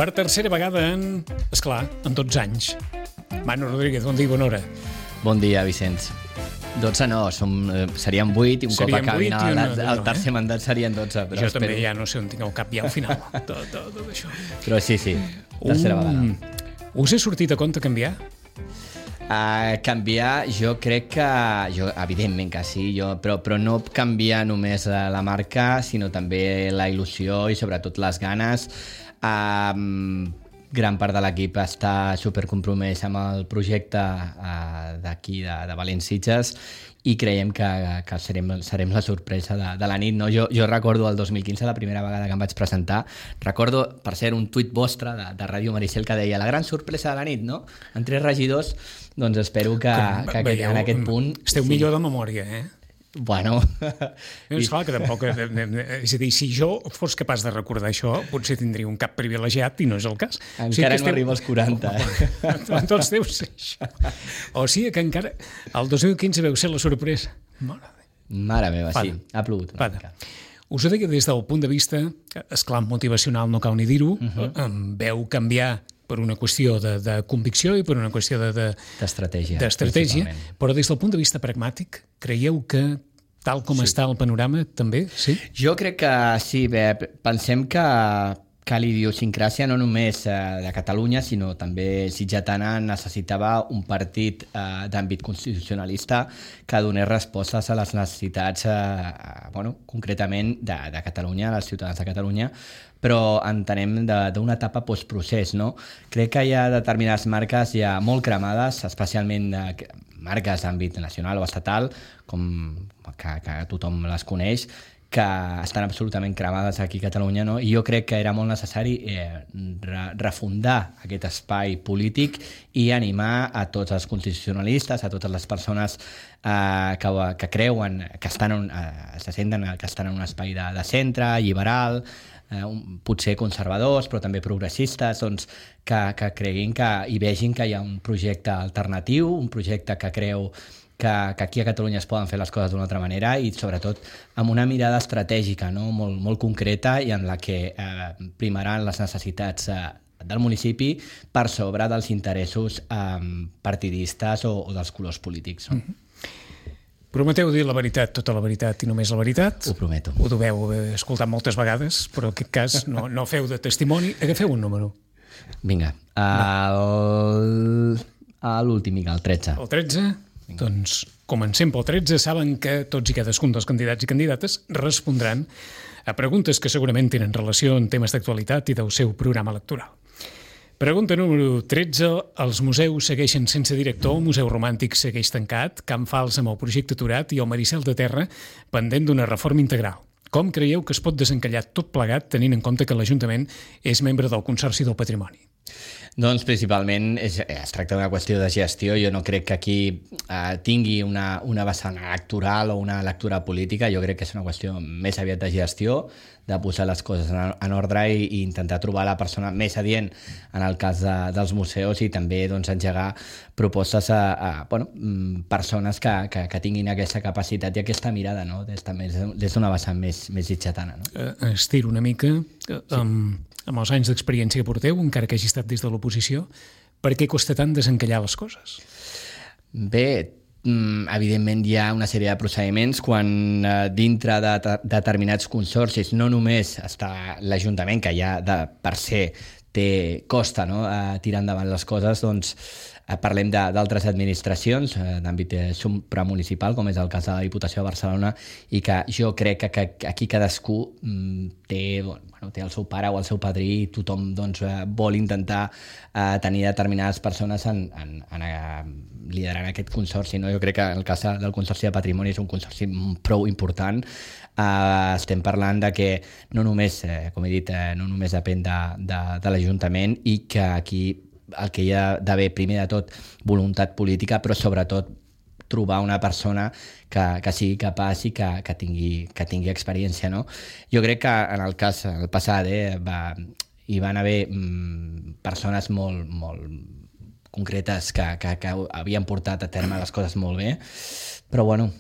Per tercera vegada en 12 anys. Manu Rodríguez, bon dia, bona hora. Bon dia, Vicenç. 12 no, serien 8 i un cop acabin el tercer mandat serien 12. Però jo també ja no sé on tinc el cap ja al final, tot això. Però sí, tercera vegada. Us he sortit a compte canviar? Canviar, jo crec que... evidentment que sí, però no canviar només la marca, sinó també la il·lusió i sobretot les ganes. Gran part de l'equip està supercompromès amb el projecte d'aquí, de València i creiem que serem la sorpresa de la nit. No? Jo recordo el 2015, la primera vegada que em vaig presentar, recordo, per ser un tuit vostre de Ràdio Maricel que deia la gran sorpresa de la nit, no? En 3 regidors, doncs espero que en aquest punt... Esteu millor de memòria, eh? Bueno... És clar que tampoc... És a dir, si jo fos capaç de recordar això, potser tindria un cap privilegiat i no és el cas. Encara no arriba als 40. Doncs deu ser això. O sigui que encara... El 2015 veu ser la sorpresa. Mare meva, sí. Ha plogut una mica. Us ho deia des del punt de vista, esclar, motivacional, no cal ni dir-ho, veu canviar per una qüestió de convicció i per una qüestió d'estratègia, però des del punt de vista pragmàtic, creieu que tal com està el panorama també, sí? Jo crec que sí, pensem que l'idiosincràsia no només de Catalunya, sinó també sitgetana necessitava un partit d'àmbit constitucionalista que donés respostes a les necessitats, concretament de Catalunya, dels ciutadans de Catalunya, però entenem d'una etapa postprocés, no? Crec que hi ha determinades marques ja molt cremades, especialment marques d'àmbit nacional o estatal, com que tothom les coneix, que estan absolutament cremades aquí a Catalunya, no? I jo crec que era molt necessari refundar aquest espai polític i animar a tots els constitucionalistes, a totes les persones que creuen, que se senten que estan en un espai de centre, liberal, potser conservadors, però també progressistes, doncs, que creguin i vegin que hi ha un projecte alternatiu, un projecte que creu que aquí a Catalunya es poden fer les coses d'una altra manera i sobretot amb una mirada estratègica, no? molt concreta i en la que primaran les necessitats del municipi per sobre dels interessos partidistes o dels colors polítics. No? Prometeu dir la veritat, tota la veritat i només la veritat. Ho prometo. Ho deveu haver escoltat moltes vegades, però en aquest cas no feu de testimoni. Agafeu un número. Vinga. L'últim, el 13. El 13? Doncs comencem pel 13. Saben que tots i cadascun dels candidats i candidates respondran a preguntes que segurament tenen relació amb temes d'actualitat i del seu programa electoral. Pregunta número 13. Els museus segueixen sense director, el Museu Romàntic segueix tancat, Can Fals amb el projecte aturat i el Maricel de Terra pendent d'una reforma integral. Com creieu que es pot desencallar tot plegat tenint en compte que l'Ajuntament és membre del Consorci del Patrimoni? Doncs principalment es tracta d'una qüestió de gestió. Jo no crec que aquí tingui una vessant electoral o una lectura política. Jo crec que és una qüestió més aviat de gestió, de posar les coses en ordre i intentar trobar la persona més adient en el cas dels museus i també engegar propostes a persones que tinguin aquesta capacitat i aquesta mirada, no? des d'una vessant més sitgetana. No? Estiro una mica... Amb els anys d'experiència que porteu, encara que hagi estat des de l'oposició, per què costa tant desencallar les coses? Bé, evidentment hi ha una sèrie de procediments quan dintre de determinats consorcis no només està l'Ajuntament, que ja per ser costa, no? Tirar endavant les coses, doncs parlem d'altres administracions d'àmbit supramunicipal, com és el cas de la Diputació de Barcelona, i que jo crec que aquí cadascú té el seu pare o el seu padrí i tothom vol intentar tenir determinades persones liderant aquest consorci. No? Jo crec que el cas del Consorci de Patrimoni és un consorci prou important. Estem parlant de que no només, com he dit, no només depèn de l'Ajuntament i que aquí el que hi ha d'haver, primer de tot, voluntat política, però sobretot trobar una persona que sigui capaç i que tingui experiència. No? Jo crec que en el cas el passat hi van haver persones molt concretes que havien portat a terme les coses molt bé, però bueno,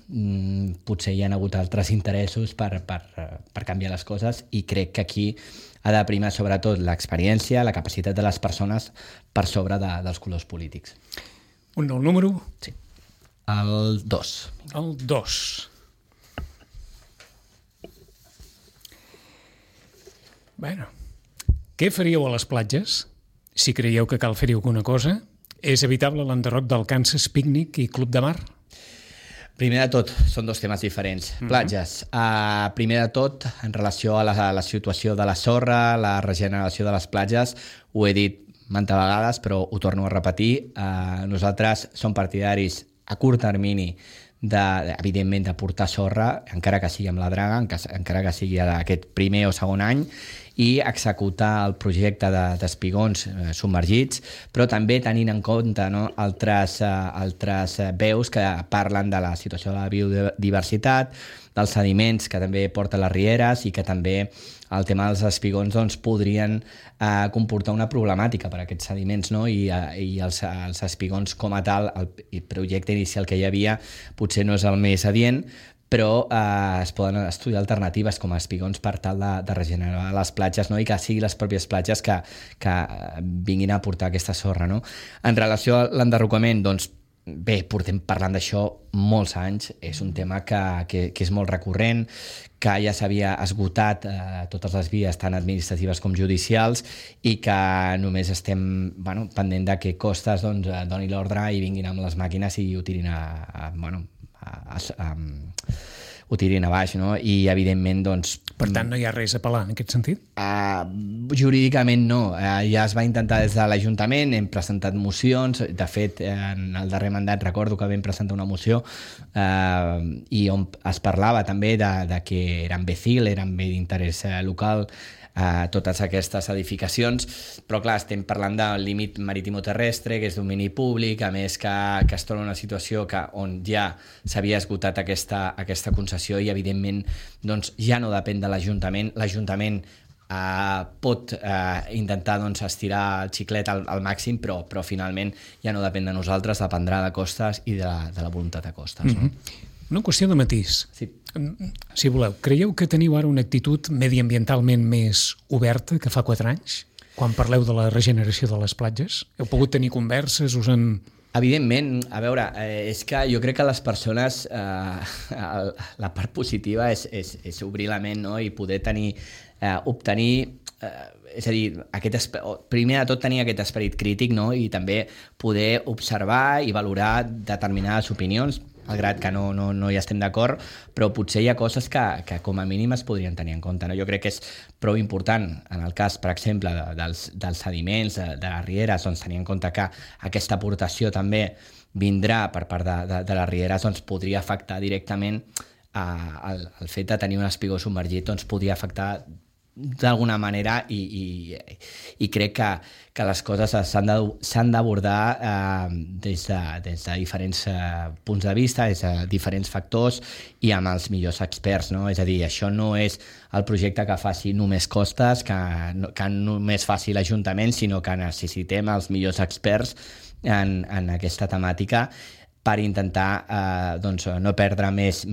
potser hi ha hagut altres interessos per canviar les coses, i crec que aquí ha de primar sobretot l'experiència, la capacitat de les persones per sobre dels colors polítics. Un nou número? Sí. El 2. El 2. Bueno, què faríeu a les platges? Si creieu que cal fer-hi alguna cosa, és evitable l'enderroc del Kansas Picnic i Club de Mar? Primer de tot, són dos temes diferents. Platges. Primer de tot, en relació a la situació de la sorra, la regeneració de les platges, ho he dit mantes vegades, però ho torno a repetir. Nosaltres som partidaris a curt termini evidentment de portar sorra, encara que sigui amb la draga, encara que sigui aquest primer o segon any, i executar el projecte d'espigons submergits, però també tenint en compte altres veus que parlen de la situació de la biodiversitat, dels sediments que també porten les rieres, i que també el tema dels espigons podrien comportar una problemàtica per a aquests sediments, no? I els espigons com a tal, el projecte inicial que hi havia potser no és el més adient, però es poden estudiar alternatives com a espigons per tal de regenerar les platges, no? I que siguin les pròpies platges que vinguin a portar aquesta sorra, no? En relació a l'enderrocament, doncs, bé, portem parlant d'això molts anys, és un tema que és molt recurrent, que ja s'havia esgotat totes les vies, tant administratives com judicials, i que només estem pendent de que Costes doni l'ordre i vinguin amb les màquines i ho tirin ho tirin a baix, no? I evidentment, doncs... Per tant, no hi ha res a apel·lar en aquest sentit? Jurídicament no. Ja es va intentar des de l'Ajuntament, hem presentat mocions, de fet, en el darrer mandat recordo que vam presentar una moció i on es parlava també de que eren BCIL, eren bé d'interès local, totes aquestes edificacions, però clar, estem parlant del límit maritimo-terrestre, que és domini públic, a més que es troba una situació on ja s'havia esgotat aquesta concessió, i evidentment doncs, ja no depèn de l'Ajuntament. L'Ajuntament pot intentar estirar el xiclet al màxim, però finalment ja no depèn de nosaltres, dependrà de Costes i de la voluntat de Costes. No? Una qüestió de matís. Sí. Si voleu, creieu que teniu ara una actitud mediambientalment més oberta que fa 4 anys? Quan parleu de la regeneració de les platges? Heu pogut tenir converses? Evidentment, a veure, és que jo crec que les persones, la part positiva és obrir la ment, no? I poder obtenir, és a dir, primer de tot tenir aquest esperit crític, no? I també poder observar i valorar determinades opinions, malgrat que no hi estem d'acord, però potser hi ha coses que com a mínim es podrien tenir en compte, no? Jo crec que és prou important, en el cas, per exemple, dels sediments, de les rieres, doncs tenir en compte que aquesta aportació també vindrà per part de les rieres, doncs podria afectar directament el fet de tenir un espigó submergit, doncs podria afectar d'alguna manera, i crec que les coses s'han d'abordar des de diferents punts de vista, des de diferents factors i amb els millors experts, no? És a dir, això no és el projecte que faci només Costes, que només faci l'Ajuntament, sinó que necessitem els millors experts en aquesta temàtica per intentar no perdre més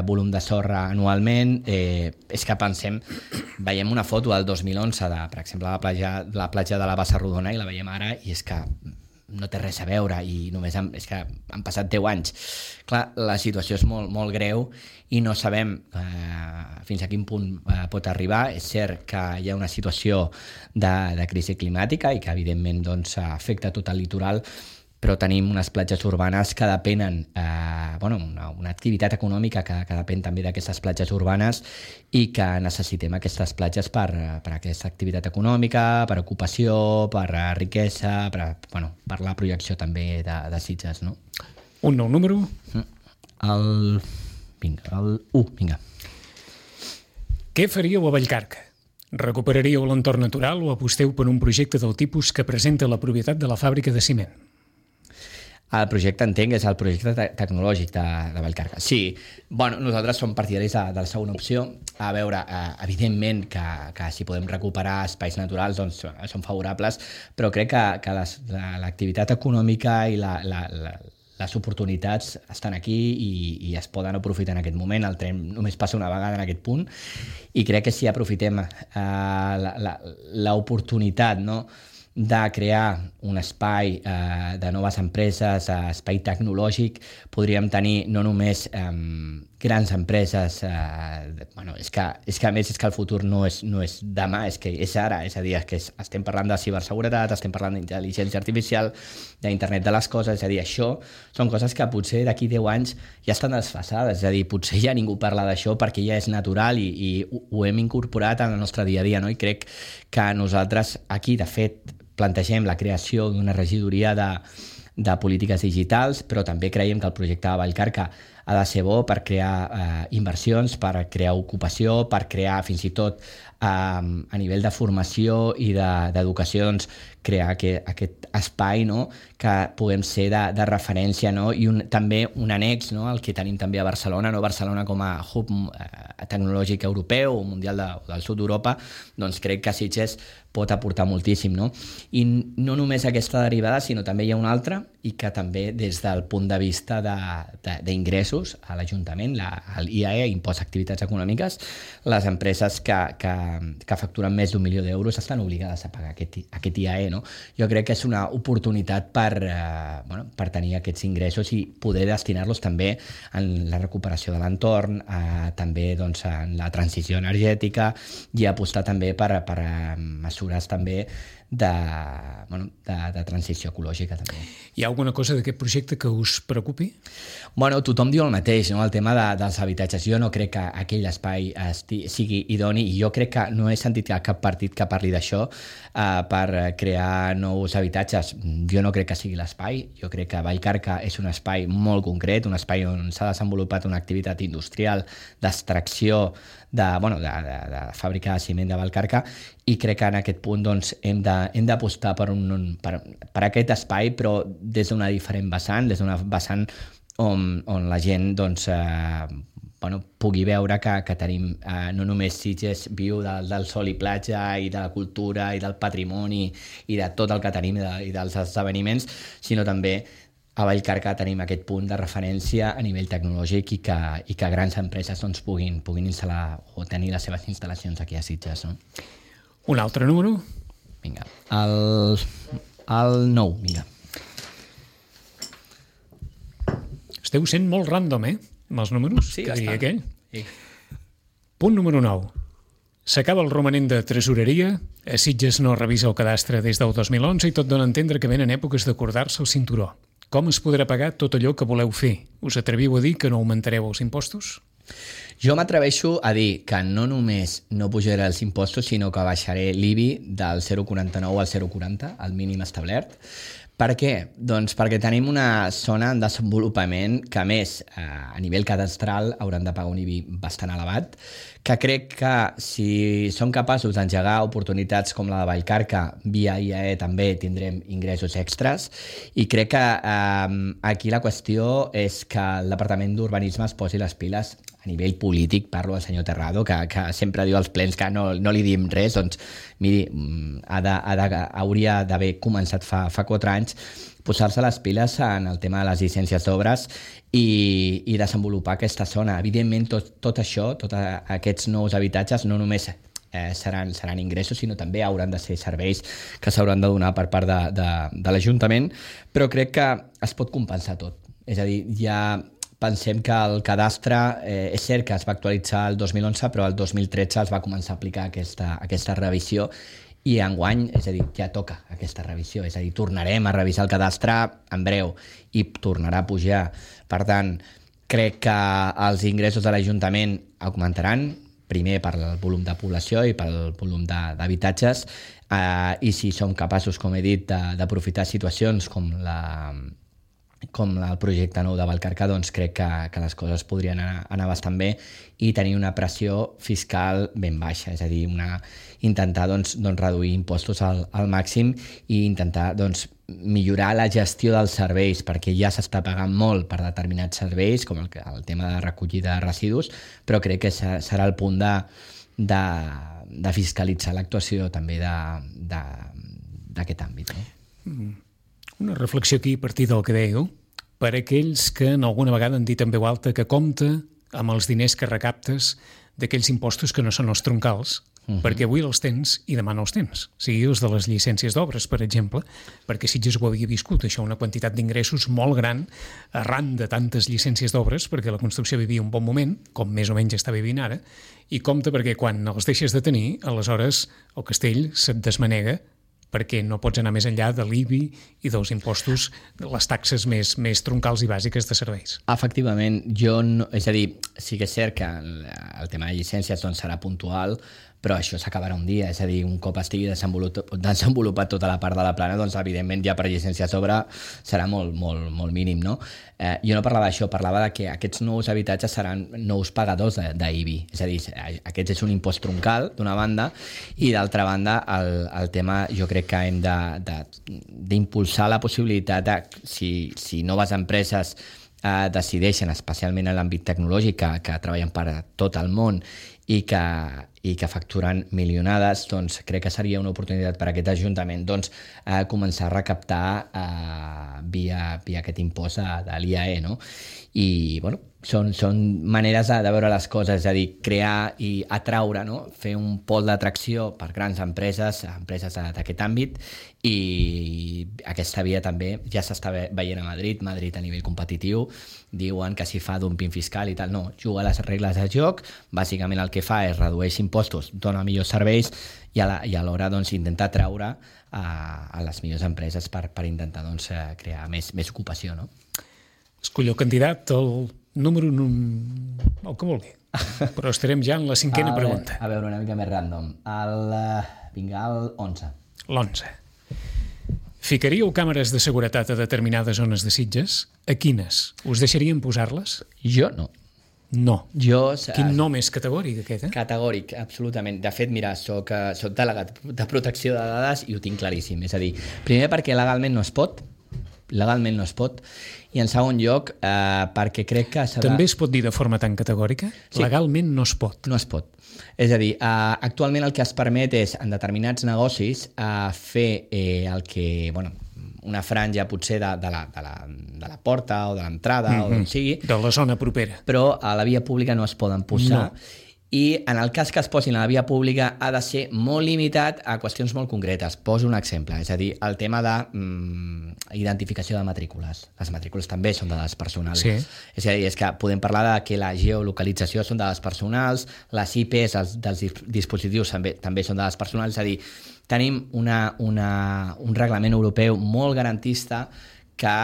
volum de sorra anualment. És que veiem una foto del 2011 per exemple, la platja de la Bassa Rodona, i la veiem ara, i és que no té res a veure, i només és que han passat 10 anys. Clar, la situació és molt, molt greu i no sabem fins a quin punt pot arribar. És cert que hi ha una situació de crisi climàtica i que evidentment afecta tot el litoral, però tenim unes platges urbanes que depenen, una activitat econòmica que depèn també d'aquestes platges urbanes, i que necessitem aquestes platges per aquesta activitat econòmica, per ocupació, per riquesa, per la projecció també de Sitges, no? Un nou número? El 1, vinga. Què faríeu a Vallcarca? Recuperaríeu l'entorn natural o aposteu per un projecte del tipus que presenta la propietat de la fàbrica de ciment? El projecte entenc és el projecte tecnològic de Vallcarca. Sí, bueno, nosaltres som partidaris de la segona opció. A veure, evidentment que si podem recuperar espais naturals doncs són favorables, però crec que l'activitat econòmica i les oportunitats estan aquí i es poden aprofitar en aquest moment. El tren només passa una vegada en aquest punt i crec que si aprofitem l'oportunitat, no?, de crear un espai de noves empreses, espai tecnològic, podríem tenir no només grans empreses, és que a més és que el futur no és demà, és que és ara, és a dir, que estem parlant de ciberseguretat, estem parlant d'intel·ligència artificial, d'internet de les coses, és a dir, això són coses que potser d'aquí 10 anys ja estan desfasades, és a dir, potser ja ningú parla d'això perquè ja és natural i ho hem incorporat en el nostre dia a dia, no? I crec que nosaltres aquí, de fet, plantegem la creació d'una regidoria de polítiques digitals, però també creiem que el projecte de Vallcarca ha de ser bo per crear inversions, per crear ocupació, per crear fins i tot a nivell de formació i d'educació, doncs, crear aquest espai, no?, que puguem ser de referència, no?, i també un annex, no?, el que tenim també a Barcelona, no? Barcelona com a hub tecnològic europeu o mundial del sud d'Europa, doncs crec que Sitges pot aportar moltíssim, no? I no només aquesta derivada, sinó també hi ha una altra, i que també des del punt de vista d'ingressos a l'Ajuntament, l'IAE, Impost d'Activitats Econòmiques, les empreses que facturen més d'1 milió d'euros estan obligades a pagar aquest IAE, no? Jo crec que és una oportunitat per tenir aquests ingressos i poder destinar-los també en la recuperació de l'entorn, també doncs, en la transició energètica i apostar també per mesures també de transició ecològica també. Hi ha alguna cosa d'aquest projecte que us preocupi? Bueno, tothom diu el mateix, no?, el tema dels habitatges. Jo no crec que aquell espai sigui idoni i jo crec que no he sentit cap partit que parli d'això per crear nous habitatges. Jo no crec que sigui l'espai. Jo crec que Vallcarca és un espai molt concret, un espai on s'ha desenvolupat una activitat industrial d'extracció de fàbrica de ciment de Vallcarca i crec que en aquest punt doncs, hem d'apostar per aquest espai, però des d'una diferent vessant, des d'una vessant on la gent doncs, pugui veure que tenim no només Sitges viu del sol i platja i de la cultura i del patrimoni i de tot el que tenim i dels esdeveniments, sinó també a Vallcarca tenim aquest punt de referència a nivell tecnològic i que grans empreses doncs, puguin instal·lar o tenir les seves instal·lacions aquí a Sitges. No? Un altre número? Vinga, el 9, vinga. Esteu sent molt random, amb els números? Sí, que diria aquell. Sí. Punt número 9. S'acaba el romanent de tresoreria, a Sitges no revisa el cadastre des del 2011 i tot dona a entendre que venen èpoques d'acordar-se el cinturó. Com es podrà pagar tot allò que voleu fer? Us atreviu a dir que no augmentareu els impostos? Jo m'atreveixo a dir que no només no pujaré els impostos, sinó que baixaré l'IBI del 0,49 al 0,40, el mínim establert. Per què? Doncs perquè tenim una zona en desenvolupament que, a més, a nivell cadastral hauran de pagar un IBI bastant elevat, que crec que si som capaços d'engegar oportunitats com la de Vallcarca, via IAE també tindrem ingressos extras, i crec que aquí la qüestió és que el Departament d'Urbanisme es posi les piles a nivell polític. Parlo del senyor Terrado, que sempre diu als plens que no li diem res, doncs miri, hauria d'haver començat fa 4 anys posar-se les piles en el tema de les llicències d'obres i desenvolupar aquesta zona. Evidentment, tot això, tots aquests nous habitatges, no només seran ingressos, sinó també hauran de ser serveis que s'hauran de donar per part de l'Ajuntament, però crec que es pot compensar tot. És a dir, ja pensem que el cadastre és cert que es va actualitzar el 2011, però el 2013 es va començar a aplicar aquesta revisió i enguany, és a dir, ja toca aquesta revisió, és a dir, tornarem a revisar el cadastre en breu i tornarà a pujar. Per tant, crec que els ingressos de l'Ajuntament augmentaran, primer per el volum de població i pel volum d'habitatges, i si som capaços, com he dit, d'aprofitar situacions com com el projecte nou de Vallcarca, doncs crec que les coses podrien anar bastant bé i tenir una pressió fiscal ben baixa, és a dir, intentar doncs, reduir impostos al màxim i intentar doncs, millorar la gestió dels serveis, perquè ja s'està pagant molt per determinats serveis, com el tema de recollida de residus, però crec que serà el punt de fiscalitzar l'actuació també d'aquest àmbit. No? Una reflexió aquí a partir del que dèieu, per aquells que en alguna vegada han dit en veu alta que compta amb els diners que recaptes d'aquells impostos que no són els troncals, perquè avui els tens i demà no els tens. Sigui els de les llicències d'obres, per exemple, perquè Sitges ho havia viscut, això, una quantitat d'ingressos molt gran arran de tantes llicències d'obres, perquè la construcció vivia un bon moment, com més o menys està vivint ara, i compte perquè quan els deixes de tenir, aleshores el castell se't desmanega perquè no pots anar més enllà de l'IBI i dels impostos, les taxes més troncals i bàsiques de serveis. Efectivament, és a dir, sí que és cert que el tema de llicències doncs, serà puntual, però això s'acabarà un dia, és a dir, un cop estigui desenvolupat tota la part de la plana, doncs evidentment ja per llicència a sobre serà molt, molt, molt mínim, no? Jo no parlava d'això, parlava de que aquests nous habitatges seran nous pagadors d'IBI, és a dir, aquest és un impost troncal d'una banda i d'altra banda el tema jo crec que hem d'impulsar la possibilitat de, si noves empreses decideixen, especialment en l'àmbit tecnològic, que treballen per a tot el món i que facturen milionades, doncs crec que seria una oportunitat per a aquest Ajuntament doncs, començar a recaptar via aquest impost de l'IAE, no? I bueno, són maneres de veure les coses, és a dir, crear i atraure, no? Fer un pol d'atracció per grans empreses d'aquest àmbit, i aquesta via també ja s'està veient a Madrid a nivell competitiu, diuen que si fa dumping fiscal i tal, no, juga a les regles de joc, bàsicament el que fa és redueix impostos, dona millors serveis i alhora doncs, intentar atraure a les millors empreses per intentar doncs, crear més ocupació, no? Escollo candidat, el número el que vulgui, però estarem ja en la cinquena pregunta. A veure, una mica més random. Vinga, el 11. L'11. Ficaríeu càmeres de seguretat a determinades zones de Sitges? A quines? Us deixarien posar-les? Jo no. No. Jo, quin nom és categòric, aquest? Categòric, absolutament. De fet, mira, soc delegat de protecció de dades i ho tinc claríssim. És a dir, primer perquè legalment no es pot, i en segon lloc perquè crec que serà... També es pot dir de forma tan categòrica? Sí. Legalment no es pot. No es pot. És a dir, actualment el que es permet és, en determinats negocis, fer el que... Bueno, una franja potser de la porta o de l'entrada o d'on sigui. De la zona propera. Però a la via pública no es poden posar. No. I en el cas que es posin a la via pública ha de ser molt limitat a qüestions molt concretes. Poso un exemple, és a dir, el tema d'identificació de matrícules. Les matrícules també són dades personals. Sí. És a dir, és que podem parlar de que la geolocalització són dades personals, les IPs dels dispositius també són dades personals, és a dir, tenim un reglament europeu molt garantista que...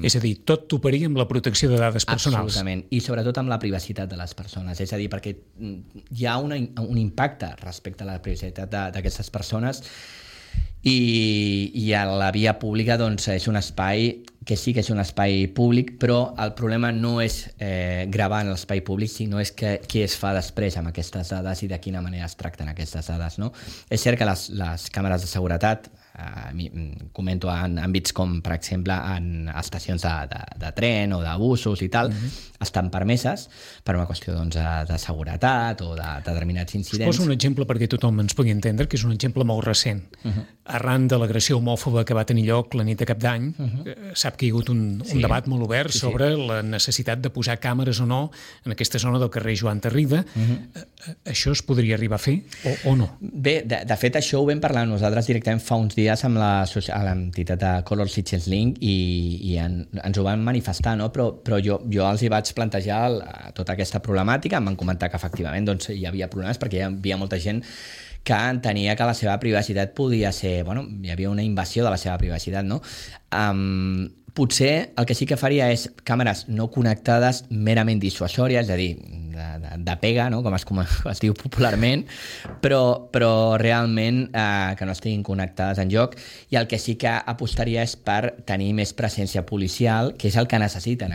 És a dir, tot toparia amb la protecció de dades personals. Absolutament, i sobretot amb la privacitat de les persones. És a dir, perquè hi ha un impacte respecte a la privacitat d'aquestes persones i a la via pública doncs, és un espai que sí que és un espai públic, però el problema no és gravar en l'espai públic, sinó és què es fa després amb aquestes dades i de quina manera es tracten aquestes dades. No? És cert que les càmeres de seguretat, comento en àmbits com, per exemple, en estacions de tren o de busos i tal, estan permeses per una qüestió doncs, de seguretat o de determinats incidents. Poso un exemple perquè tothom ens pugui entendre, que és un exemple molt recent. Arran de l'agressió homòfoba que va tenir lloc la nit de Cap d'Any, sap que hi ha hagut un debat molt obert sobre la necessitat de posar càmeres o no en aquesta zona del carrer Joan Tarrida. Això es podria arribar a fer o no? Bé, de fet, això ho vam parlar nosaltres directament fa uns dies amb l'entitat de Color Sitges Link i ens ho van manifestar, no? Però jo els hi vaig plantejar tota aquesta problemàtica, em van comentar que efectivament doncs, hi havia problemes perquè hi havia molta gent que entenia que la seva privacitat podia ser... Bueno, hi havia una invasió de la seva privacitat, no? Potser el que sí que faria és càmeres no connectades merament dissuasòries, és a dir, de pega, no? com es diu popularment, però realment que no estiguin connectades en joc, i el que sí que apostaria és per tenir més presència policial, que és el que necessiten.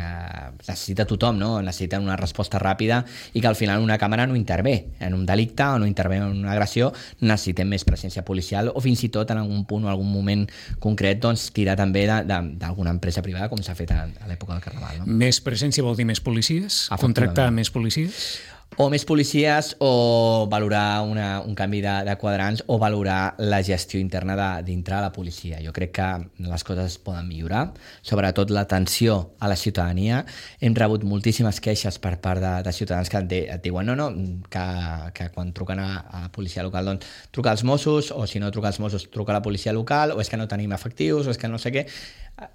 Necessita tothom, no? Necessiten una resposta ràpida i que al final una càmera no intervé en un delicte o no intervé en una agressió. Necessitem més presència policial o fins i tot en algun punt o algun moment concret doncs, tirar també d'alguna empresa privada com s'ha fet a l'època del Carnaval. No? Més presència vol dir més policies? Contractar més policies? O més policies o valorar un canvi de quadrants o valorar la gestió interna dintre la policia. Jo crec que les coses es poden millorar, sobretot l'atenció a la ciutadania. Hem rebut moltíssimes queixes per part de ciutadans que et diuen que quan truquen a la policia local doncs truca als Mossos, o si no truca als Mossos truca a la policia local, o és que no tenim efectius, o és que no sé què.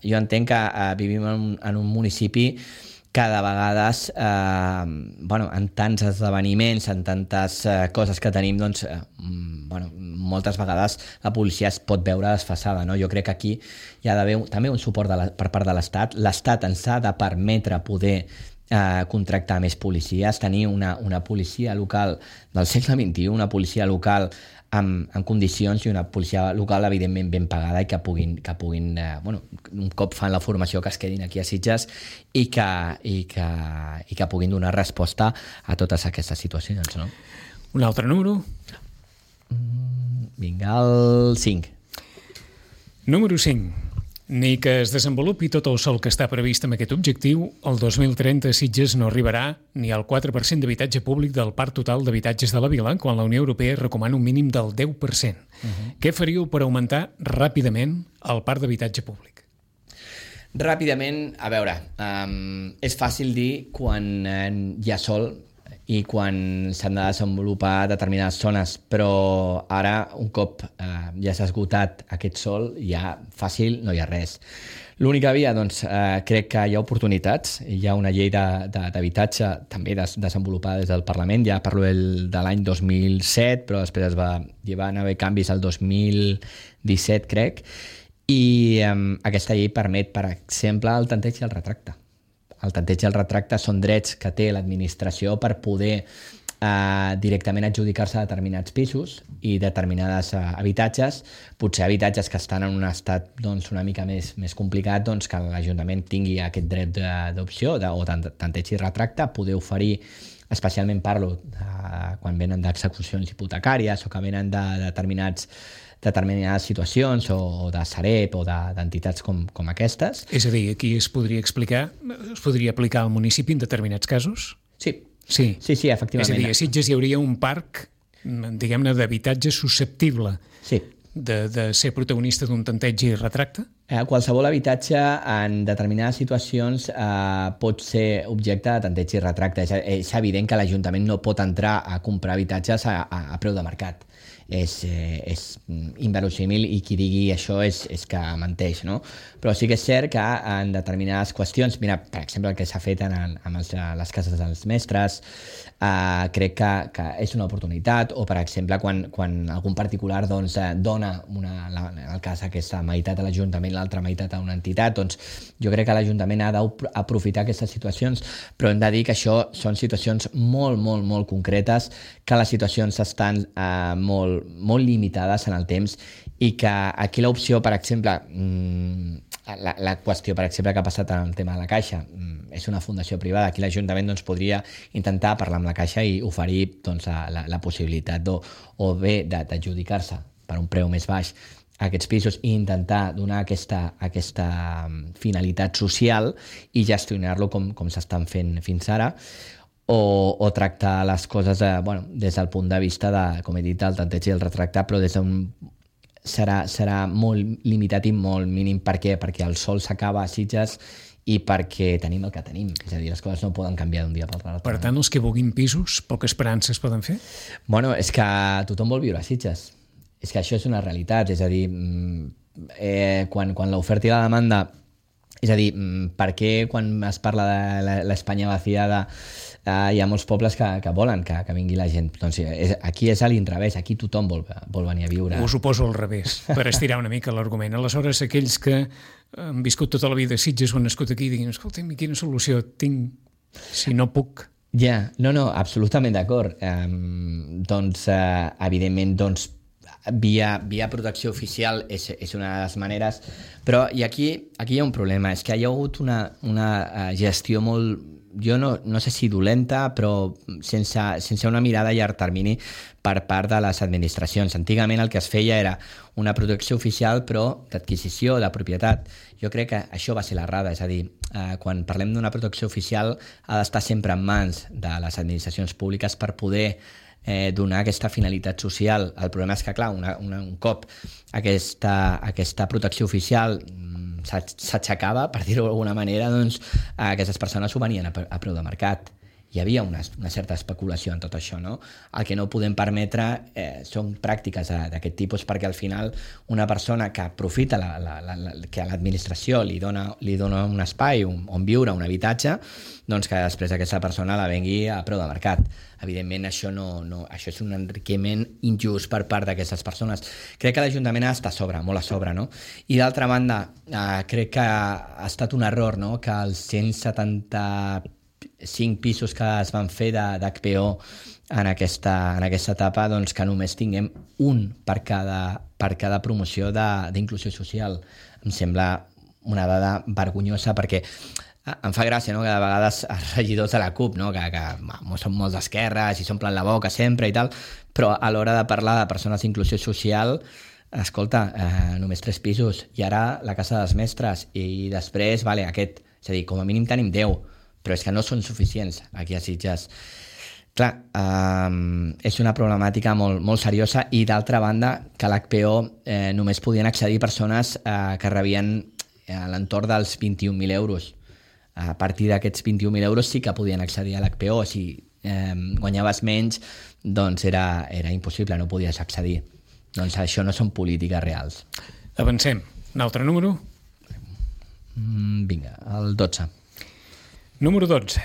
Jo entenc que vivim en un municipi que de vegades, en tants esdeveniments, en tantes coses que tenim, doncs, moltes vegades la policia es pot veure desfasada. No? Jo crec que aquí hi ha d'haver també un suport per part de l'Estat. L'Estat ens ha de permetre poder contractar més policies, tenir una policia local del segle XXI, una policia local en condicions i una policia local evidentment ben pagada i que puguin un cop fan la formació que es quedin aquí a Sitges i que puguin donar resposta a totes aquestes situacions. No? Un altre número? Vinga, el 5. Número 5. Ni que es desenvolupi tot el sòl que està previst amb aquest objectiu, el 2030 Sitges no arribarà ni al 4% d'habitatge públic del parc total d'habitatges de la vila, quan la Unió Europea recomana un mínim del 10%. Què faríeu per augmentar ràpidament el parc d'habitatge públic? Ràpidament, a veure, és fàcil dir quan hi ha sol i quan s'han de desenvolupar determinades zones, però ara, un cop ja s'ha esgotat aquest sol, ja fàcil no hi ha res. L'única via, doncs, crec que hi ha oportunitats. Hi ha una llei d'habitatge també desenvolupada des del Parlament, ja parlo de l'any 2007, però després hi van haver canvis al 2017, crec, i aquesta llei permet, per exemple, el tanteig i el retracte. El tanteig i el retracte són drets que té l'administració per poder directament adjudicar-se a determinats pisos i determinades habitatges, potser habitatges que estan en un estat una mica més complicat, que l'Ajuntament tingui aquest dret d'opció o tanteig i retracte, poder oferir, especialment parlo quan venen d'execucions hipotecàries o que venen de determinades situacions o de Sareb o d'entitats com aquestes. És a dir, aquí es podria aplicar al municipi en determinats casos? Sí, efectivament. És a dir, a Sitges hi hauria un parc, diguem-ne, d'habitatge susceptible de ser protagonista d'un tanteig i retracte? Qualsevol habitatge en determinades situacions pot ser objecte de tanteig i retracte. És evident que l'Ajuntament no pot entrar a comprar habitatges a preu de mercat. És inverosímil i qui digui això és que menteix, no? Però sí que és cert que en determinades qüestions, mira, per exemple, el que s'ha fet amb les cases dels mestres, crec que és una oportunitat, o per exemple quan algun particular dona el cas aquesta meitat a l'Ajuntament, l'altra meitat a una entitat, doncs jo crec que l'Ajuntament ha d'aprofitar aquestes situacions, però hem de dir que això són situacions molt, molt, molt concretes, que les situacions estan molt limitades en el temps i que aquí l'opció, per exemple, la qüestió, per exemple, que ha passat en el tema de la Caixa, és una fundació privada. Aquí l'Ajuntament podria intentar parlar amb la Caixa i oferir la possibilitat o bé d'adjudicar-se per un preu més baix a aquests pisos i intentar donar aquesta finalitat social i gestionar-lo com s'estan fent fins ara, o tractar les coses des del punt de vista com he dit, del tanteig i el retracte, però serà molt limitat i molt mínim. Per què? Perquè el sol s'acaba a Sitges i perquè tenim el que tenim. És a dir, les coses no poden canviar d'un dia per l'altre. Per tant, els que vulguin pisos, poques esperances poden fer? Bueno, és que tothom vol viure a Sitges. És que això és una realitat. És a dir, quan l'oferta i la demanda... És a dir, per què quan es parla de l'Espanya vaciada hi ha molts pobles que volen que vingui la gent? Doncs aquí és a l'inrevés, aquí tothom vol venir a viure. Us ho poso al revés, per estirar una mica l'argument. Aleshores, aquells que han viscut tota la vida a Sitges o han nascut aquí diguin, escolta'm, quina solució tinc si no puc Ja, no, absolutament d'acord. Evidentment, via protecció oficial és una de les maneres, però i aquí hi ha un problema, és que hi ha hagut una gestió molt, jo no sé si dolenta, però sense una mirada a llarg termini per part de les administracions. Antigament el que es feia era una protecció oficial, però d'adquisició, de propietat. Jo crec que això va ser l'errada, és a dir, quan parlem d'una protecció oficial ha d'estar sempre en mans de les administracions públiques per poder donar aquesta finalitat social. El problema és que, clar, un cop aquesta protecció oficial s'aixecava, per dir-ho d'alguna manera, doncs aquestes persones ho venien a preu de mercat. Hi havia una certa especulació en tot això, no? El que no podem permetre són pràctiques d'aquest tipus, perquè al final una persona que aprofita que a l'administració li dona un espai on viure, un habitatge, doncs que després aquesta persona la vengui a preu de mercat. Evidentment, això és un enriquiment injust per part d'aquestes persones. Crec que l'Ajuntament està a sobre, molt a sobre, no? I d'altra banda, crec que ha estat un error, no?, que els 175 pisos que es van fer d'HPO en aquesta etapa, doncs que només tinguem un per cada promoció d'inclusió social. Em sembla una dada vergonyosa, perquè em fa gràcia, no?, que de vegades els regidors de la CUP, no?, que són molt d'esquerres i s'omplen la boca sempre i tal, però a l'hora de parlar de persones d'inclusió social, escolta, només 3 pisos, i ara la Casa dels Mestres, i després, vale, aquest, és a dir, com a mínim tenim 10, però és que no són suficients aquí a Sitges. Clar, és una problemàtica molt seriosa, i d'altra banda que a l'HPO només podien accedir persones que rebien a l'entorn dels 21.000 euros. A partir d'aquests 21.000 euros sí que podien accedir a l'HPO. Si guanyaves menys, doncs era impossible, no podies accedir. Doncs això no són polítiques reals. Avancem. Un altre número? Vinga, el 12. Número 12.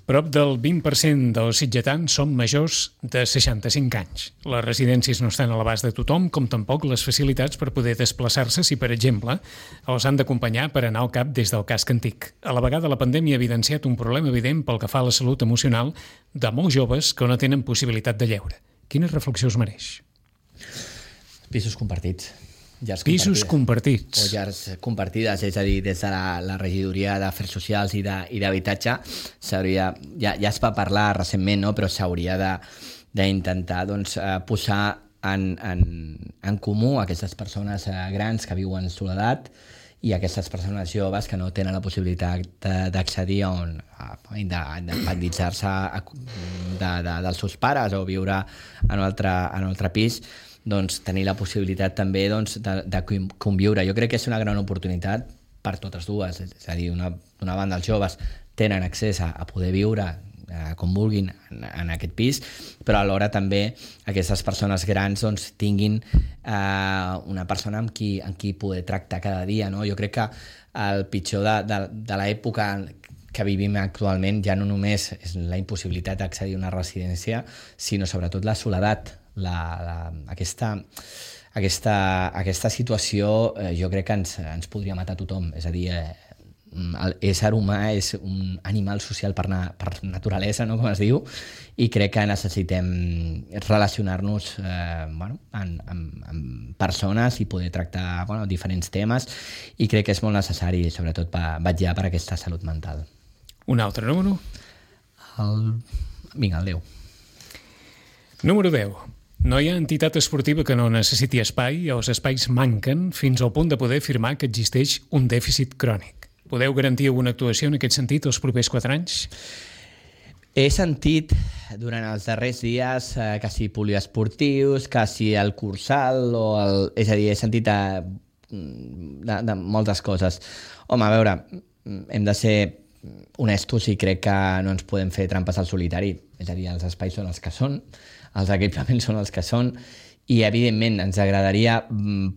Prop del 20% dels sitgetans són majors de 65 anys. Les residències no estan a l'abast de tothom, com tampoc les facilitats per poder desplaçar-se si, per exemple, els han d'acompanyar per anar al cap des del casc antic. A la vegada, la pandèmia ha evidenciat un problema evident pel que fa a la salut emocional de molts joves que no tenen possibilitat de lleure. Quines reflexions mereix? Pisos compartits. Pisos compartits. O llars compartides, és a dir, des de la regidoria d'Afers Socials i d'Habitatge ja es va parlar recentment, no?, però s'hauria d'intentar posar en comú aquestes persones grans que viuen en soledat i aquestes persones joves que no tenen la possibilitat d'accedir a independitzar-se dels seus pares o viure en un altre pis, doncs tenir la possibilitat també de conviure. Jo crec que és una gran oportunitat per totes dues, és a dir, d'una banda els joves tenen accés a poder viure com vulguin en aquest pis, però alhora també aquestes persones grans tinguin una persona amb qui poder tractar cada dia, no? Jo crec que el pitjor de l'època que vivim actualment ja no només és la impossibilitat d'accedir a una residència, sinó sobretot la soledat. Aquesta situació jo crec que ens podria matar tothom. És a dir, l'ésser humà és un animal social per naturalesa, no?, com es diu, i crec que necessitem relacionar-nos amb persones i poder tractar diferents temes, i crec que és molt necessari, sobretot vetllar per aquesta salut mental. Un altre número? Vinga, el 10. Número 10. No hi ha entitat esportiva que no necessiti espai, els espais manquen fins al punt de poder afirmar que existeix un dèficit crònic. Podeu garantir alguna actuació en aquest sentit els propers 4 anys? He sentit durant els darrers dies que si poliesportius, que si el cursal, és a dir, he sentit de moltes coses. Home, a veure, hem de ser honestos i crec que no ens podem fer trampes al solitari. És a dir, els espais són els que són, els equipaments són els que són, i evidentment ens agradaria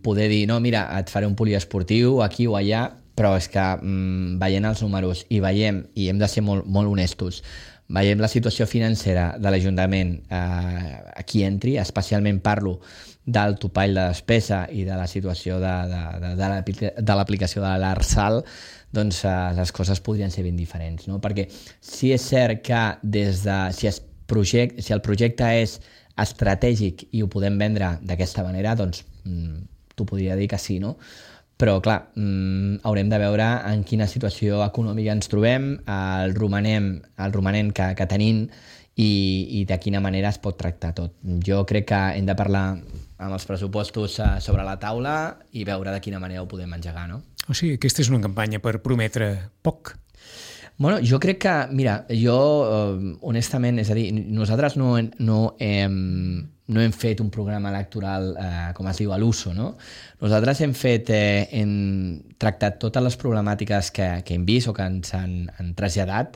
poder dir, no, mira, et faré un poliesportiu aquí o allà, però és que veient els números i hem de ser molt, molt honestos, veiem la situació financera de l'Ajuntament aquí entri, especialment parlo del topall de despesa i de la situació de l'aplicació de l'ARSAL, doncs les coses podrien ser ben diferents, no? Perquè sí és cert que si el projecte és estratègic i ho podem vendre d'aquesta manera, doncs t'ho podria dir que sí, no? Però, clar, haurem de veure en quina situació econòmica ens trobem, el romanent que tenim i de quina manera es pot tractar tot. Jo crec que hem de parlar amb els pressupostos sobre la taula i veure de quina manera ho podem engegar, no? O sigui, aquesta és una campanya per prometre poc. Bueno, jo crec que, mira, honestament, és a dir, nosaltres no hem fet un programa electoral, com es diu, a l'uso, no? Nosaltres hem tractat totes les problemàtiques que hem vist o que ens han traslladat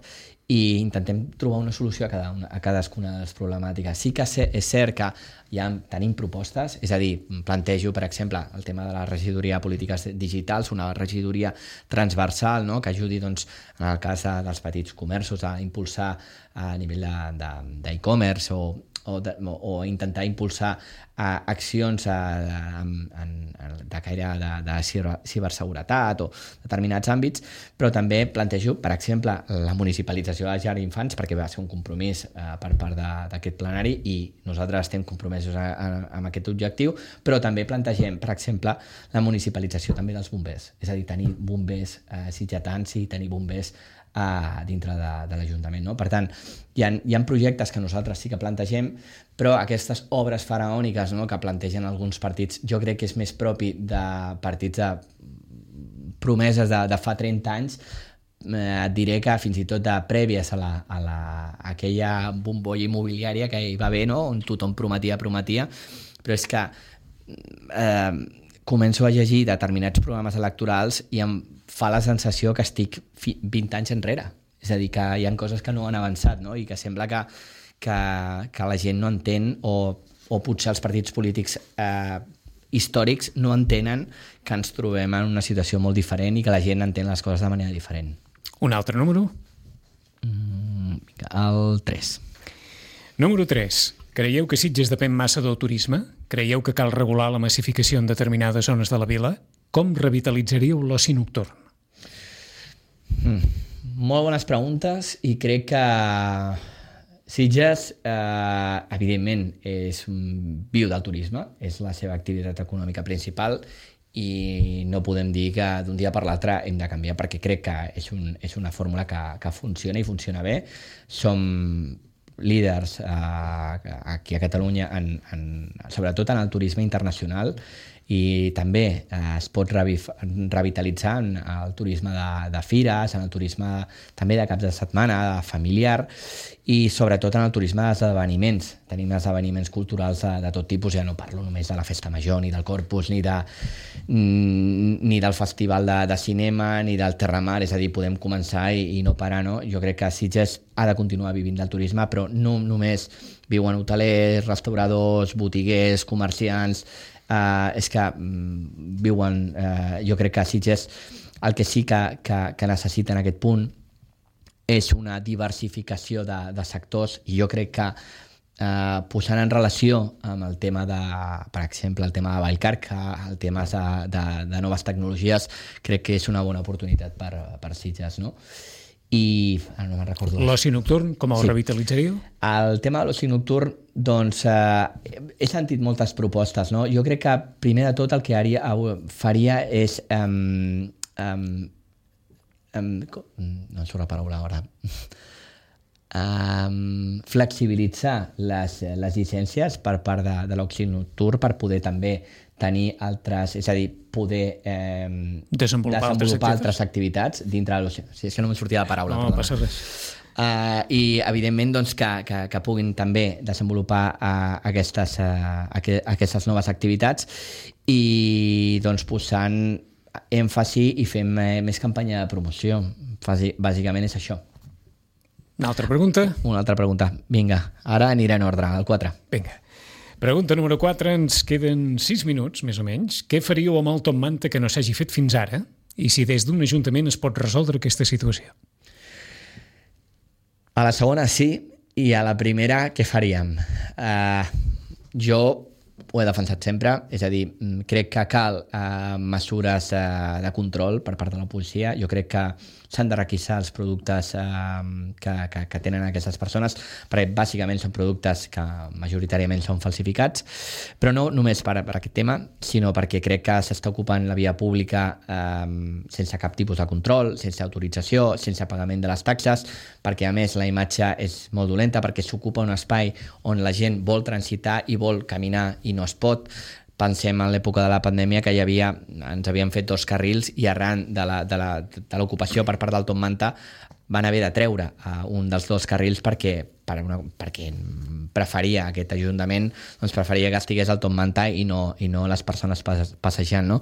i intentem trobar una solució a cadascuna de les problemàtiques. Sí que és cert que ja tenim propostes, és a dir, plantejo, per exemple, el tema de la regidoria de polítiques digitals, una regidoria transversal, no?, que ajudi, doncs, en el cas dels petits comerços a impulsar a nivell d'e-commerce o intentar impulsar accions de caire de ciberseguretat o determinats àmbits, però també plantejo, per exemple, la municipalització de les llars d'infants, perquè va ser un compromís per part d'aquest plenari i nosaltres estem compromesos amb aquest objectiu, però també plantegem, per exemple, la municipalització també dels bombers, és a dir, tenir bombers sitgetans i tenir bombers dintre de l'Ajuntament, no? Per tant, hi ha projectes que nosaltres sí que plantegem, però aquestes obres faraòniques, no?, que plantegen alguns partits, jo crec que és més propi de partits de promeses de fa 30 anys. Et diré que fins i tot de prèvies a aquella bombolla immobiliària que hi va haver, no?, on tothom prometia, però és que començo a llegir determinats programes electorals i em fa la sensació que estic 20 anys enrere. És a dir, que hi ha coses que no han avançat, no?, i que sembla que la gent no entén o potser els partits polítics històrics no entenen que ens trobem en una situació molt diferent i que la gent entén les coses de manera diferent. Un altre número? El 3. Número 3. Creieu que Sitges depèn massa del turisme? Creieu que cal regular la massificació en determinades zones de la vila? Com revitalitzaríeu l'oci nocturn? Molt bones preguntes i crec que Sitges, evidentment, viu del turisme, és la seva activitat econòmica principal i no podem dir que d'un dia per l'altre hem de canviar, perquè crec que és una fórmula que funciona i funciona bé. Som líders aquí a Catalunya, sobretot en el turisme internacional, i també es pot revitalitzar en el turisme de fires, en el turisme també de caps de setmana, familiar, i sobretot en el turisme d'esdeveniments. Tenim esdeveniments culturals de tot tipus, ja no parlo només de la Festa Major, ni del Corpus, ni del Festival de Cinema, ni del Terramar, és a dir, podem començar i no parar, no? Jo crec que Sitges ha de continuar vivint del turisme, però no només viuen hotelers, restauradors, botiguers, comerciants, és que viuen, jo crec que Sitges el que sí que necessita en aquest punt és una diversificació de sectors, i jo crec que posant en relació amb el tema per exemple, el tema de Vallcarca, el tema de noves tecnologies, crec que és una bona oportunitat per Sitges, no? I no me'n recordo. L'oci nocturn, com el revitalitzaríeu? El tema de l'oci nocturn, doncs, he sentit moltes propostes, no? Jo crec que, primer de tot, el que faria és no em surt la paraula ara, flexibilitzar les llicències per part de l'oci nocturn per poder també tenir altres, és a dir, poder desenvolupar altres activitats dintre de l'oci. És que no em sortia la paraula. No passa res. I evidentment doncs, que puguin també desenvolupar aquestes noves activitats i doncs, posant èmfasi i fem més campanya de promoció. Bàsicament és això. Una altra pregunta? Una altra pregunta. Vinga, ara aniré en ordre, el 4. Vinga. Pregunta número 4. Ens queden 6 minuts, més o menys. Què faríeu amb el Top Manta que no s'hagi fet fins ara I si des d'un ajuntament es pot resoldre aquesta situació? A la segona sí, i a la primera què faríem? Jo ho he defensat sempre, és a dir, crec que cal mesures de control per part de la policia. Jo crec que s'han de requisar els productes que tenen aquestes persones, perquè bàsicament són productes que majoritàriament són falsificats, però no només per aquest tema, sinó perquè crec que s'està ocupant la via pública sense cap tipus de control, sense autorització, sense pagament de les taxes, perquè a més la imatge és molt dolenta, perquè s'ocupa un espai on la gent vol transitar i vol caminar i no es pot. Pensem en l'època de la pandèmia que ens havien fet 2 carrils i arran de l'ocupació per part del Top Manta van haver de treure un dels 2 carrils perquè preferia aquest ajuntament, doncs preferia que estigués el Top Manta i no les persones passejant, no?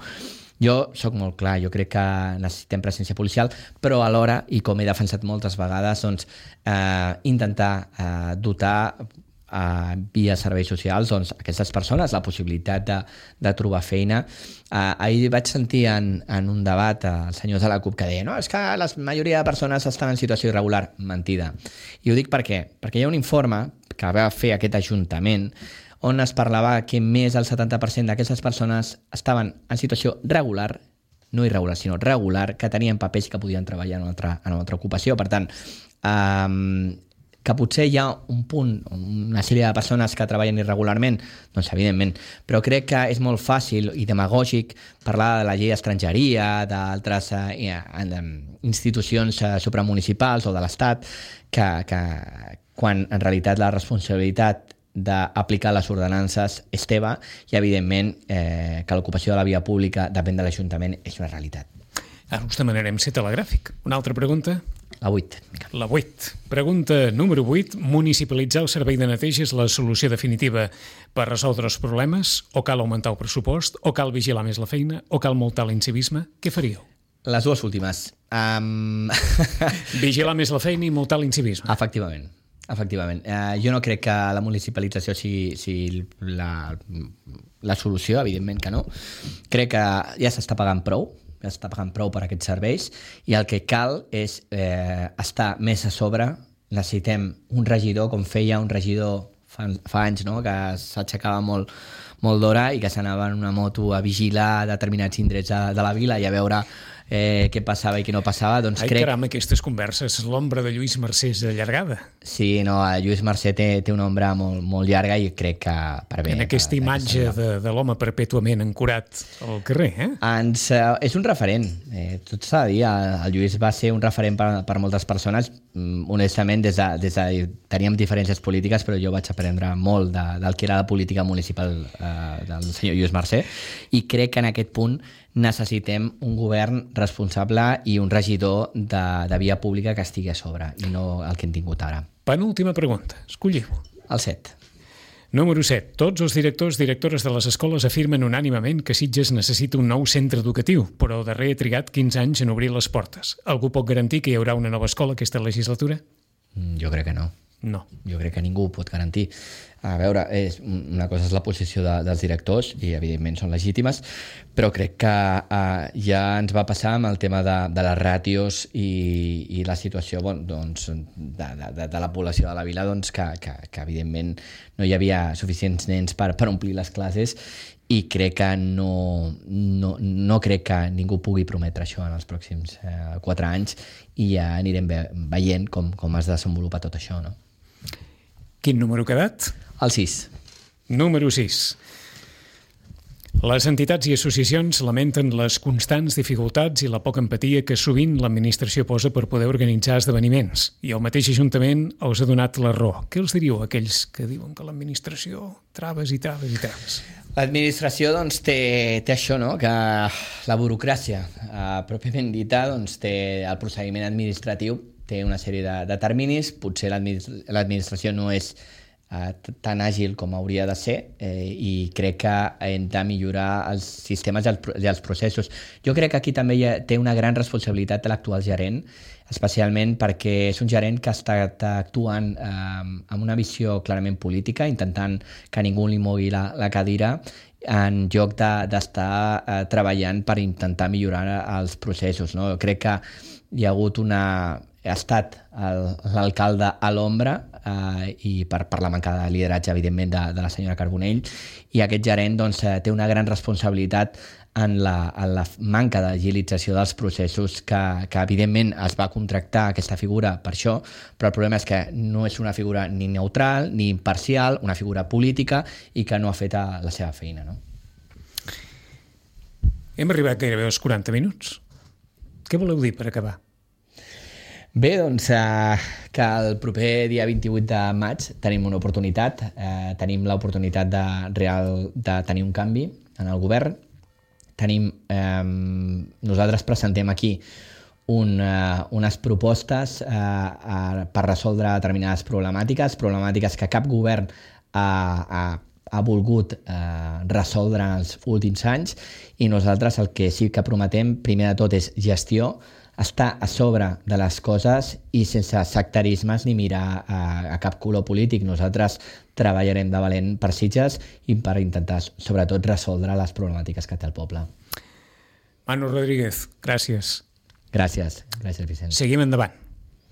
Jo sóc molt clar, jo crec que necessitem presència policial, però alhora, i com he defensat moltes vegades, doncs, intentar dotar via serveis socials aquestes persones la possibilitat de trobar feina. Ahir vaig sentir en un debat els senyors de la CUP que deia no, és que la majoria de persones estan en situació irregular. Mentida. I ho dic per què? Perquè hi ha un informe que va fer aquest Ajuntament on es parlava que més del 70% d'aquestes persones estaven en situació regular, no irregular, sinó regular, que tenien papers que podien treballar en una altra ocupació. Per tant, que potser hi ha un punt, una sèrie de persones que treballen irregularment, doncs evidentment, però crec que és molt fàcil i demagògic parlar de la llei d'estrangeria, d'altres institucions supramunicipals o de l'Estat, que quan en realitat la responsabilitat d'aplicar les ordenances és teva i evidentment que l'ocupació de la via pública depèn de l'Ajuntament és una realitat. Ara us demanarem ser telegràfic. Una altra pregunta? La 8. La 8. Pregunta número 8. Municipalitzar el servei de neteja és la solució definitiva per resoldre els problemes? O cal augmentar el pressupost? O cal vigilar més la feina? O cal multar l'incivisme? Què faríeu? Les dues últimes. Vigilar més la feina i multar l'incivisme. Efectivament. Jo no crec que la municipalització sigui la solució, evidentment que no. Crec que ja s'està pagant prou per aquests serveis i el que cal és estar més a sobre. Necessitem un regidor, com feia un regidor fa anys, no? Que s'aixecava molt d'hora i que s'anava en una moto a vigilar determinats indrets de la vila i a veure què passava i què no passava. Doncs caram, aquestes converses, l'ombra de Lluís Mercè és allargada. Sí, no, Lluís Mercè té una ombra molt llarga i crec que per bé. En aquesta imatge de l'home perpètuament ancorat al carrer, és un referent. Tot s'ha de dir, el Lluís va ser un referent per moltes persones. Honestament, teníem diferències polítiques, però jo vaig aprendre molt del que era la política municipal del senyor Lluís Mercè i crec que en aquest punt necessitem un govern responsable i un regidor de via pública que estigui a sobre i no el que hem tingut ara. Penúltima pregunta. Escolliu. El 7. Número 7. Tots els directores de les escoles afirmen unànimement que Sitges necessita un nou centre educatiu, però darrer ha trigat 15 anys en obrir les portes. Algú pot garantir que hi haurà una nova escola aquesta legislatura? Jo crec que no. No. Jo crec que ningú ho pot garantir. A veure, una cosa és la posició dels directors i evidentment són legítimes, però crec que ja ens va passar amb el tema de les ràtios i la situació de la població de la vila, doncs, que evidentment no hi havia suficients nens per omplir les classes i crec que no crec que ningú pugui prometre això en els pròxims 4 anys i ja anirem veient com es desenvolupa tot això, no? Quin número ha quedat? El 6. Número 6. Les entitats i associacions lamenten les constants dificultats i la poca empatia que sovint l'administració posa per poder organitzar esdeveniments. I el mateix Ajuntament els ha donat la raó. Què els diríeu a aquells que diuen que l'administració traves i traves i traves? L'administració doncs, té això, no? Que la burocràcia pròpiament dita doncs, té el procediment administratiu, té una sèrie de terminis, potser l'administració no és tan àgil com hauria de ser i crec que hem de millorar els sistemes i els processos. Jo crec que aquí també té una gran responsabilitat l'actual gerent, especialment perquè és un gerent que està actuant amb una visió clarament política, intentant que ningú li mogui la cadira en lloc d'estar treballant per intentar millorar els processos, no? Crec que hi ha hagut ha estat l'alcalde a l'ombra i per la manca de lideratge, evidentment, de la senyora Carbonell, i aquest gerent doncs, té una gran responsabilitat en la manca d'agilització dels processos que evidentment es va contractar aquesta figura per això, però el problema és que no és una figura ni neutral ni imparcial, una figura política i que no ha fet la seva feina, no? Hem arribat gairebé als 40 minuts. Què voleu dir per acabar? Bé, doncs que el proper dia 28 de maig tenim una oportunitat, tenim l'oportunitat de tenir un canvi en el govern. Nosaltres presentem aquí unes propostes per resoldre determinades problemàtiques que cap govern ha volgut resoldre en els últims anys, i nosaltres el que sí que prometem, primer de tot, és gestió, estar a sobre de les coses i sense sectarismes ni mirar a cap color polític. Nosaltres treballarem de valent per Sitges i per intentar, sobretot, resoldre les problemàtiques que té el poble. Manu Rodríguez, gràcies. Gràcies, Vicent. Seguim endavant.